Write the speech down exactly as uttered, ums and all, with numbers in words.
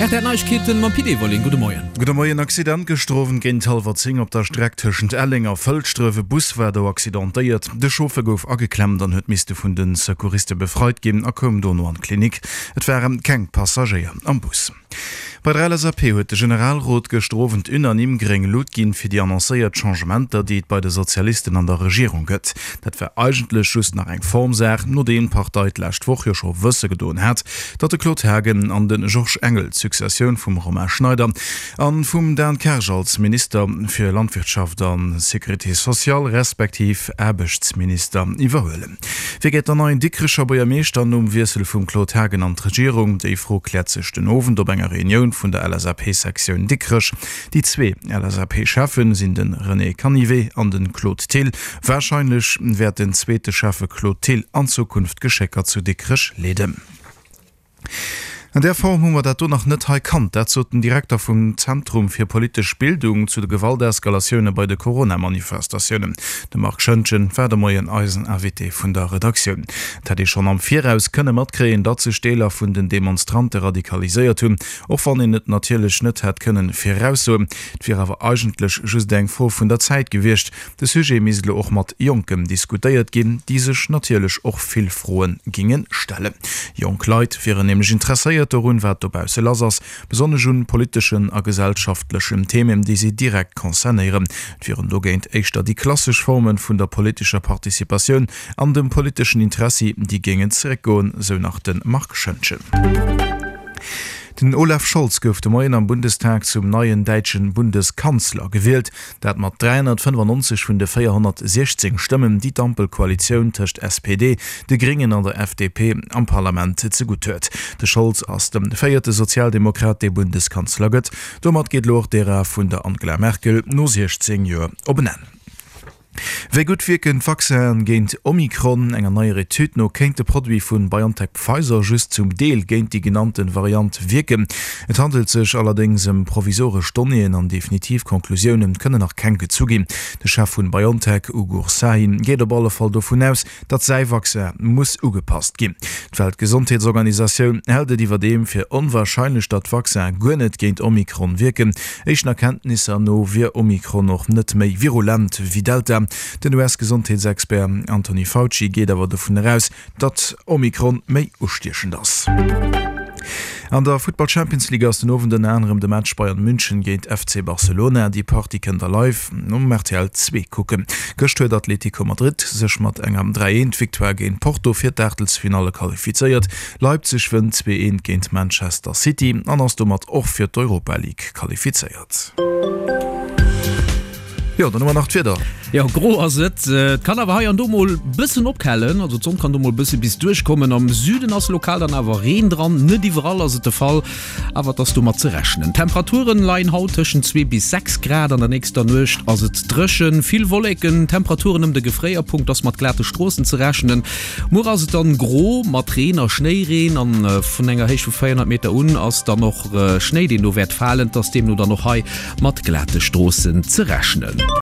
Rtl Neiegkeeten mam Pit Everling. Gudde Moien. Gudde Moien. Accident gëschter Owend géint hallwer zéng op der Streck tëschent Elleng a Fëlschdref. E Bus war do accidentéiert. De Chauffer gouf ageklemmt an huet misste vun de Secouriste befreit ginn a koum dono an d'Klinik. Et ware keng Passagéier am Bus. Bei der LSAP huet de Generalrot gëschter Owend unanime gréng Lut ginn fir déi annoncéiert Changementer, déi et bei de Sozialisten an der Regierung gëtt. Dat war eigentlech just nach eng Formsaach, nodeem d'Partei d'lescht Woch jo scho wësse gedoen hat, datt de Claude Haagen an de Georges Engel d'Successioun vum Romain Schneider a vum Dan Kersch als Minister fir Landwirtschaft a Sécurité sociale respektiv Aarbechtsminister iwwerhuelen. Wie gëtt dann neien Dikrecher Buergermeeschter nom Wiessel vum Claude Haagen an d'Regierung? Déi Fro kläert sech den Owend op enger Reunioun vun der LSAP-Sektioun Dikrech. Déi zwee LSAP-Schäffe sinn de René Canivet an de Claude Thill. Warscheinlech wäert den zweete Schäffe Claude Thill an Zukunft d'Geschécker zu Dikrech leeden. An där Form hu mer dat do nach net hei kannt. Dat sot den Direkter vum Zentrum fir politesch Bildung zu de Gewalteskalatioune bei de Corona-Manifestatiounen. De Marc Schoentgen war de Moien eisen Invité vun der Redaktioun. Et hätt ee schonn am Viraus kënne matkréien, datt sech Deeler vun den Demonstrante radikaliséiert hunn, och wann een et natierlech net hätt kënnen viraussoen. Et wier awer eigentlech just eng Fro vun der Zäit gewiescht. De Sujet misst elo och mat Jonken diskutéiert ginn, déi sech natierlech och vill Froe ginge stellen. Jonk Leit wieren nämlech interesséiert dorun, wat dobausse lass ass, besonnesch un politeschen a gesellschaftlechen Themen, déi si direkt concernéieren. Et wieren dogéint éischter déi klassesch Forme vun der politescher Participatioun an dem politeschen Interessi, déi géingen zeréckgoen, sou nach de Marc Schoentgen. Den Olaf Scholz gouf de Moien am Bundestag zum neien däitschen Bundeskanzler gewielt. Dat mat dräihonnertfënnefannonzeg vun de véierhonnertsiechzéng Stëmmen, déi d'Ampelkoalitioun tëscht S P D, de Gréngen an der F D P am Parlament zegutt huet. De Scholz ass de véierte Sozialdemokrat, dee Bundeskanzler gëtt. Domat geet elo och d'Ära vun der Angela Merkel no siechzéng Joer op en Enn. Wéi gutt wierken d'Vaccinen géint Omikron? Enger neier Etüd no kéint de Produit vu BioNTech-Pfizer just zum Deel géint déi genannte Variant wierken. Et handelt sech allerdéngs ëm provisoresch Donnéeën an definitiv Konklusioune kënnen nach keng gezu ginn. De Chef vun BioNTech, Ugur Sahin, geet op alle Fall dovun aus, datt säi Vaccin muss ugepasst ginn. D'Weltgesondheetsorganisatioun hält et iwwerdeem fir onwarscheinlech, datt d'Vaccinen guer net géint Omikron wierken. Éischten Erkenntnisser no wier Omikron och net méi virulent wéi Delta. Den U S-Gesondheetsexpert Anthony Fauci geet awer dovun eraus, datt Omikron méi ustiechend ass. An der Futtball Champions League ass den Owend ënner anerem de Match Bayern München géint F C Barcelona. Déi Partie kënnt der live um R T L zwee kucken. Gëscht huet Atlético Madrid sech mat enger dräi eent Victoire géint Porto fir d'Aachtelsfinalle qualifizéiert. Leipzig wënnt zwee eent géint Manchester City an ass domat och fir d'Europa League qualifizéiert. Jo, dann hu mer nach d'Wieder. Jo, gro ass et. Et kann awer hei an do mol bëssen ophellen, also d'Sonn kann do mol bësse bis duerchkommen. Am Süden ass lokal dann awer Reen dran, net iwwerall ass et de Fall, awer et ass domat ze rechnen. D'Temperaturen leien haut tëschent zwee bis sechs Grad, an der nächster Nuecht ass et dréchen, vill Wolleken, Temperaturen ëm de Gefréierpunkt, ass mat glate Stroossen ze rechnen. Muer ass et dann gro mat Reen a Schnéireen an vun enger Héicht vu véierhonnert Meter un ass dann och Schnéi, deen do wäert falen. Et ass deemno dann och hei mat glate Stroossen ze rechnen.